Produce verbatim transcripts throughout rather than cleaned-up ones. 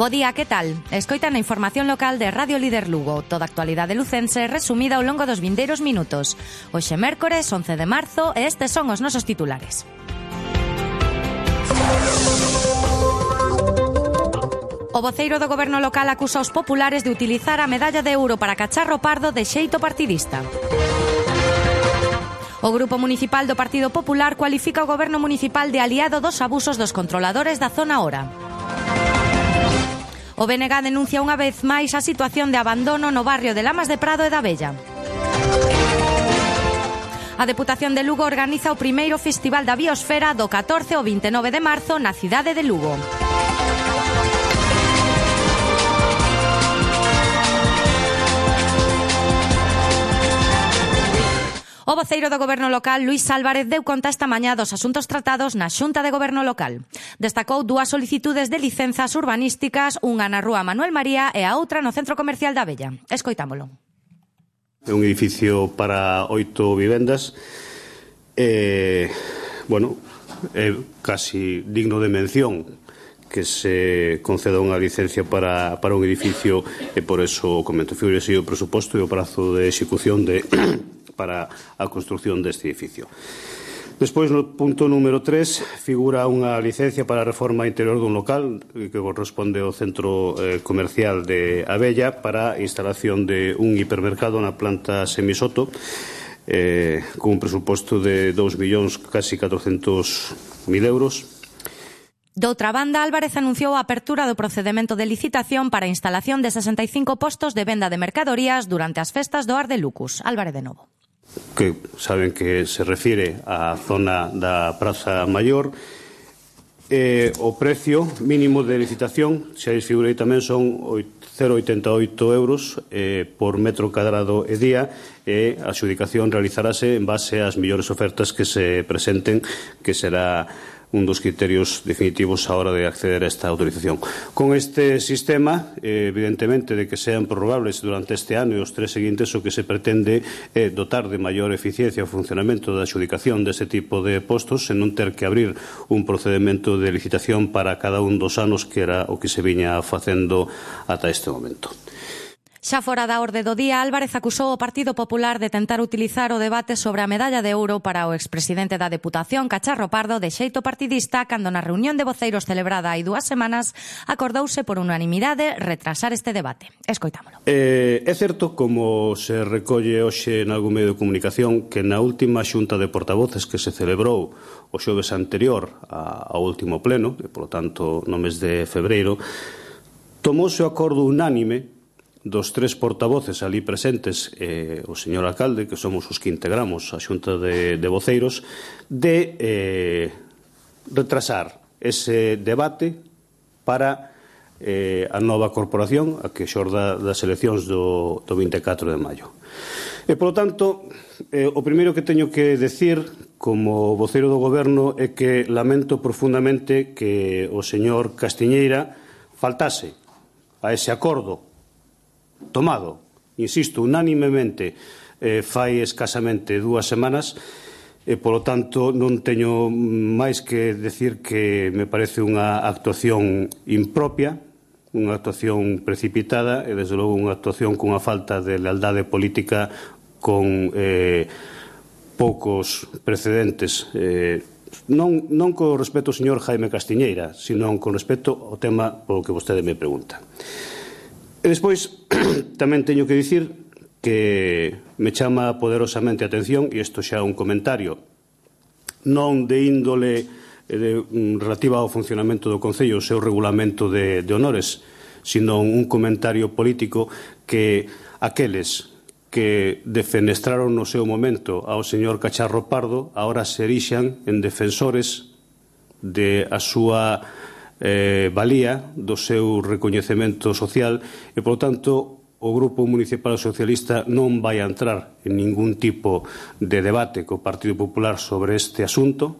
Bo día, que tal? Escoitan a información local de Radio Líder Lugo. Toda a actualidade lucense resumida ao longo dos vindeiros minutos. Hoxe mércores, once de marzo, e estes son os nosos titulares. O voceiro do goberno local acusa os populares de utilizar a medalla de ouro para Cacharro Pardo de xeito partidista. O Grupo Municipal do Partido Popular cualifica o goberno municipal de aliado dos abusos dos controladores da zona Ora. O B N G denuncia unha vez máis a situación de abandono no barrio de Lamas de Prado e da Bella. A Deputación de Lugo organiza o primeiro Festival da Biosfera do catorce ao vinte e nove de marzo na cidade de Lugo. O voceiro do goberno local, Luís Álvarez, deu conta esta mañá dos asuntos tratados na Xunta de Goberno local. Destacou dúas solicitudes de licenzas urbanísticas, unha na rúa Manuel María e a outra no centro comercial da Bella. Escoitámolo. É un edificio para oito vivendas. Eh, bueno, é casi digno de mención que se conceda unha licencia para, para un edificio e por eso comento, figúrese o presuposto e o prazo de execución de... para a construción deste edificio. Despois, no punto número tres, figura unha licencia para a reforma interior dun local que corresponde ao centro eh, comercial de Abella para a instalación de un hipermercado na planta Semisoto eh, con un presuposto de dous millóns casi catrocentos mil euros. Doutra banda, Álvarez anunciou a apertura do procedemento de licitación para a instalación de sesenta e cinco postos de venda de mercadorías durante as festas do Ar de Lucus. Álvarez de novo. Que saben que se refire á zona da Praza Maior. Eh, o precio mínimo de licitación, xa desfigurei tamén, son cero vírgula oitenta e oito euros eh, por metro cadrado e día, e a adxudicación realizarase en base ás mellores ofertas que se presenten, que será un dos criterios definitivos á hora de acceder a esta autorización. Con este sistema, eh, evidentemente, de que sean prorrogables durante este ano e os tres seguintes, o que se pretende é dotar de maior eficiencia o funcionamento da adxudicación deste tipo de postos, sen non ter que abrir un procedimento de licitación para cada un dos anos, que era o que se viña facendo ata este momento. Xa fora da orde do día, Álvarez acusou o Partido Popular de tentar utilizar o debate sobre a medalla de ouro para o expresidente da Deputación, Cacharro Pardo, de xeito partidista, cando na reunión de voceiros celebrada hai dúas semanas acordouse por unanimidade retrasar este debate. Escoitámolo. Eh, é certo, como se recolle hoxe en algún medio de comunicación, que na última xunta de portavoces que se celebrou o xoves anterior ao último pleno, e, polo tanto, no mes de febreiro, tomouse o acordo unánime dos tres portavoces ali presentes, eh, o señor alcalde, que somos os que integramos a xunta de, de voceiros, de eh, retrasar ese debate para eh, a nova corporación, a que xorda das eleccións do, do vinte e catro de maio. E, polo tanto, eh, o primeiro que teño que decir como voceiro do goberno é que lamento profundamente que o señor Castiñeira faltase a ese acordo tomado, insisto, unánimemente eh, fai escasamente dúas semanas, e, polo tanto, non teño máis que decir que me parece unha actuación impropia, unha actuación precipitada e, desde logo, unha actuación cunha falta de lealdade política con eh, poucos precedentes, eh, non, non con respecto ao señor Jaime Castiñeira, sino con respecto ao tema polo que vostede me pregunta. E despois tamén teño que dicir que me chama poderosamente a atención, e isto xa é un comentario non de índole de, relativa ao funcionamento do Concello, o seu regulamento de, de honores, sino un comentario político, que aqueles que defenestraron no seu momento ao señor Cacharro Pardo agora se erixan en defensores de a súa eh, valía, do seu recoñecemento social, e, polo tanto, o Grupo Municipal Socialista non vai a entrar en ningún tipo de debate co Partido Popular sobre este asunto.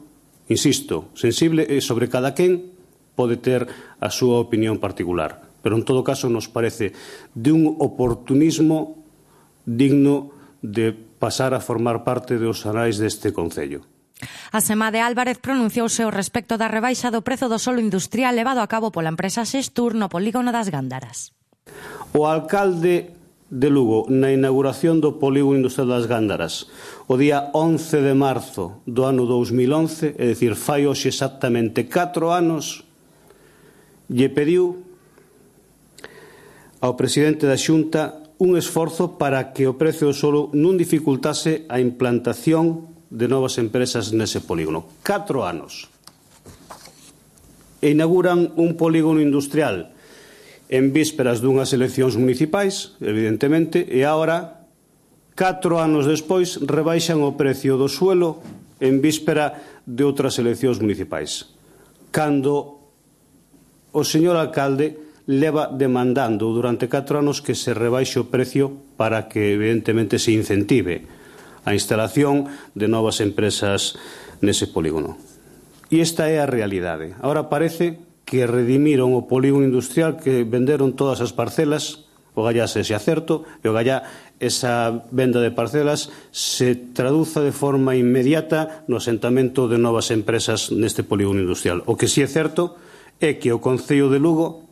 Insisto, sensible e sobre cada quen pode ter a súa opinión particular, pero en todo caso nos parece de un oportunismo digno de pasar a formar parte dos anais deste Concello. A Semade Álvarez pronunciouse ao respecto da rebaixa do prezo do solo industrial levado a cabo pola empresa Xestur no polígono das Gándaras. O alcalde de Lugo, na inauguración do polígono industrial das Gándaras, o día once de marzo do ano dous mil once, é dicir, fai hoxe exactamente catro anos, lle pediu ao presidente da Xunta un esforzo para que o prezo do solo non dificultase a implantación de novas empresas nese polígono. Catro anos. E inauguran un polígono industrial en vísperas dunhas eleccións municipais, evidentemente, e agora, catro anos despois, rebaixan o precio do suelo en víspera de outras eleccións municipais. Cando o señor alcalde leva demandando durante catro anos que se rebaixe o precio para que, evidentemente, se incentive a instalación de novas empresas nese polígono. E esta é a realidade. Ahora parece que redimiron o polígono industrial, que venderon todas as parcelas, o gallá se xa certo, e o gallá esa venda de parcelas se traduza de forma inmediata no asentamento de novas empresas neste polígono industrial. O que si é certo é que o Concello de Lugo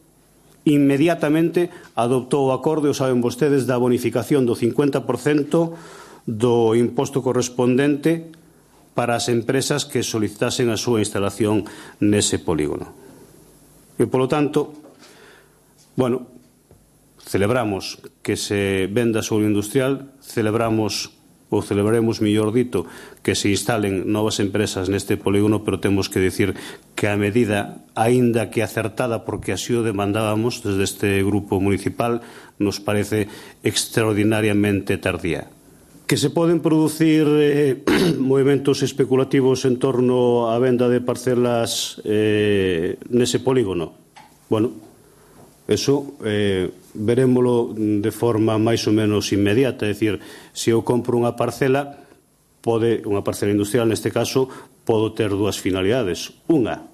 inmediatamente adoptou o acordo, o saben vostedes, da bonificación do cincuenta por cento do imposto correspondente para as empresas que solicitasen a súa instalación nese polígono. E, polo tanto, bueno, celebramos que se venda solo industrial, celebramos, ou celebraremos, mellor dito, que se instalen novas empresas neste polígono, pero temos que dicir que a medida, aínda que acertada, porque así o demandábamos desde este grupo municipal, nos parece extraordinariamente tardía. Que se poden producir eh, movimentos especulativos en torno á venda de parcelas eh, nese polígono. Bueno, eso eh, verémolo de forma máis ou menos inmediata. É dicir, se eu compro unha parcela, pode, unha parcela industrial neste caso, podo ter dúas finalidades. Unha,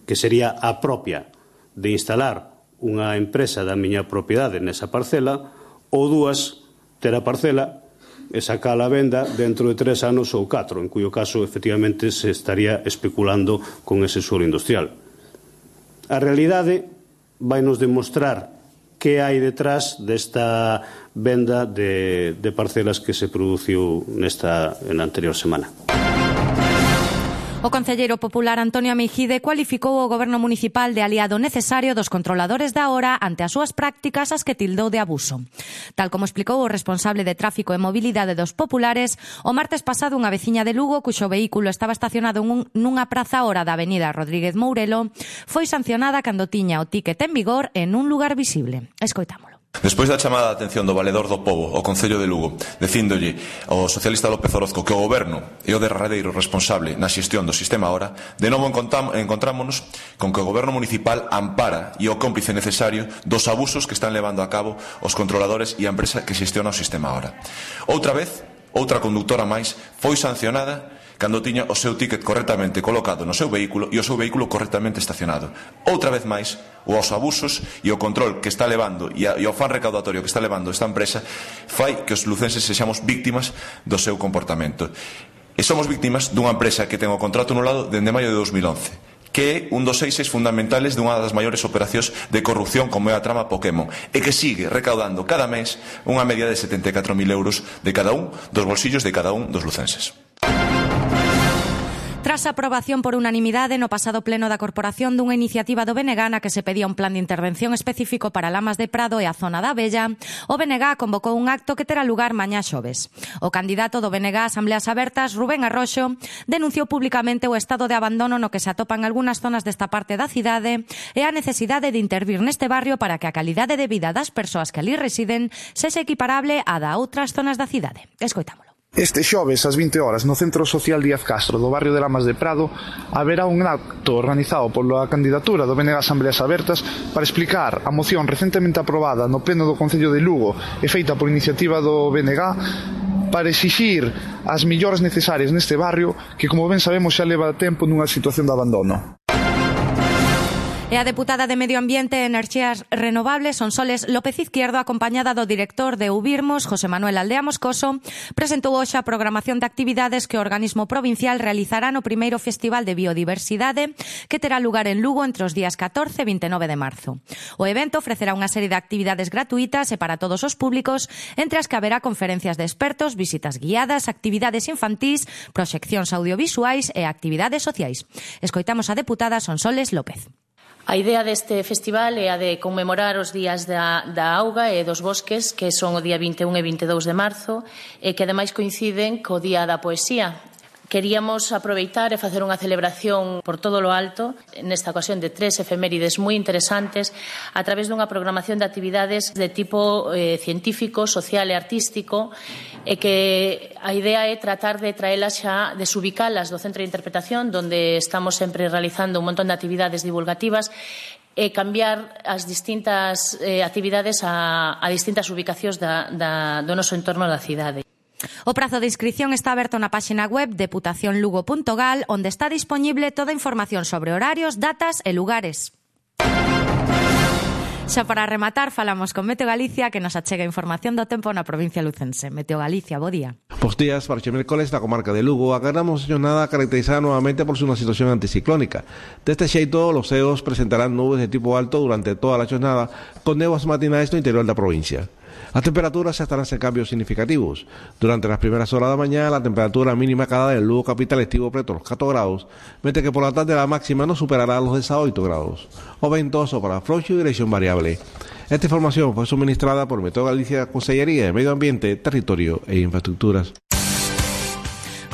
que sería a propia de instalar unha empresa da miña propiedade nesa parcela, ou dúas, ter a parcela e sacar a venda dentro de tres anos ou catro, en cuyo caso, efectivamente, se estaría especulando con ese suelo industrial. A realidade vai nos demostrar que hai detrás desta venda de, de parcelas que se produciu nesta, na anterior semana. O concelleiro popular Antonio Meijide cualificou o goberno municipal de aliado necesario dos controladores da hora ante as súas prácticas as que tildou de abuso. Tal como explicou o responsable de tráfico e mobilidade dos populares, o martes pasado unha veciña de Lugo, cuxo vehículo estaba estacionado nunha praza hora da avenida Rodríguez Mourelo, foi sancionada cando tiña o tícket en vigor en un lugar visible. Escoitámolo. Despois da chamada de atención do Valedor do Pobo ao Concello de Lugo, dicíndolle ao socialista López Orozco que o Goberno é o derradeiro responsable na xestión do sistema Hora, de novo encontrámonos con que o Goberno municipal ampara e o cómplice necesario dos abusos que están levando a cabo os controladores e a empresa que xestiona o sistema Hora. Outra vez, outra conductora máis foi sancionada cando tiña o seu tícket correctamente colocado no seu vehículo e o seu vehículo correctamente estacionado. Outra vez máis, os abusos e o control que está levando e o afán recaudatorio que está levando esta empresa fai que os lucenses sexamos víctimas do seu comportamento. E somos víctimas dunha empresa que ten o contrato anulado dende maio de dos mil once, que é un dos eixes fundamentales dunha das maiores operacións de corrupción como é a trama Pokémon, e que sigue recaudando cada mes unha media de setenta e catro mil euros de cada un dos bolsillos de cada un dos lucenses. Tras a aprobación por unanimidade no pasado pleno da Corporación dunha iniciativa do B N G na que se pedía un plan de intervención específico para Lamas de Prado e a zona da Abella, o B N G convocou un acto que terá lugar mañá xoves. O candidato do B N G a Asambleas Abertas, Rubén Arroxo, denunciou públicamente o estado de abandono no que se atopan algunhas zonas desta parte da cidade e a necesidade de intervir neste barrio para que a calidade de vida das persoas que ali residen sexa equiparable á da outras zonas da cidade. Escoitámolo. Este xoves, ás vinte horas, no Centro Social Díaz Castro do barrio de Lamas de Prado, haberá un acto organizado pola candidatura do B N G Asambleas Abertas para explicar a moción recentemente aprobada no Pleno do Concello de Lugo e feita por iniciativa do B N G para exixir as melloras necesarias neste barrio que, como ben sabemos, xa leva tempo nunha situación de abandono. E a deputada de Medio Ambiente e Enerxías Renovables, Sonsoles López Izquierdo, acompañada do director de Ubirmos, José Manuel Aldea Moscoso, presentou hoxe a programación de actividades que o organismo provincial realizará no primeiro Festival de Biodiversidade que terá lugar en Lugo entre os días catorce e vinte e nove de marzo. O evento ofrecerá unha serie de actividades gratuitas e para todos os públicos, entre as que haberá conferencias de expertos, visitas guiadas, actividades infantís, proxeccións audiovisuais e actividades sociais. Escoitamos a deputada Sonsoles López. A idea deste festival é a de conmemorar os días da, da auga e dos bosques, que son o día vinte e un e vinte e dous de marzo, e que ademais coinciden co día da poesía. Queríamos aproveitar e facer unha celebración por todo lo alto, nesta ocasión de tres efemérides moi interesantes, a través dunha programación de actividades de tipo eh, científico, social e artístico, e que a idea é tratar de traelas xa, desubicalas do Centro de Interpretación, donde estamos sempre realizando un montón de actividades divulgativas, e cambiar as distintas eh, actividades a, a distintas ubicacións da, da, do noso entorno da cidade. O prazo de inscripción está aberto na páxina web deputación lugo punto gal, onde está disponible toda a información sobre horarios, datas e lugares. Xa para rematar, falamos con Meteo Galicia, que nos achega información do tempo na provincia lucense. Meteo Galicia, bo día. Bos días, para este mércoles na comarca de Lugo agardamos xornada caracterizada nuevamente por unha situación anticiclónica. Deste xeito, los ceos presentarán nubes de tipo alto durante toda a xornada, con néboas matinais no interior da provincia. As temperaturas estarán sen cambios significativos. Durante las primeras horas da mañá, la temperatura mínima acada del Lugo capital estivo preto los catro grados, mentre que por la tarde la máxima no superará los dezaoito grados. O vento sopra frouxo e dirección variable. Esta información foi suministrada por Meteo Galicia, Consellería de Medio Ambiente, Territorio e Infraestructuras.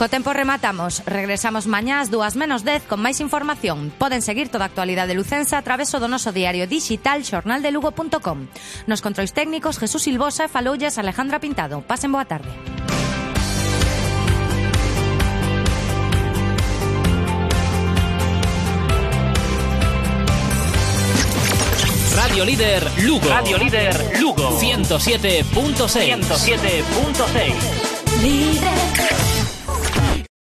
Co tempo rematamos. Regresamos mañá ás dúas menos dez con máis información. Poden seguir toda a actualidade lucense a través do noso diario digital xornal de lugo punto com. Nos controis técnicos Jesús Silvosa e faloulles Alejandra Pintado. Pasen boa tarde. Radio Líder Lugo. Radio Líder Lugo. ciento siete punto seis. ciento siete punto seis. Líder.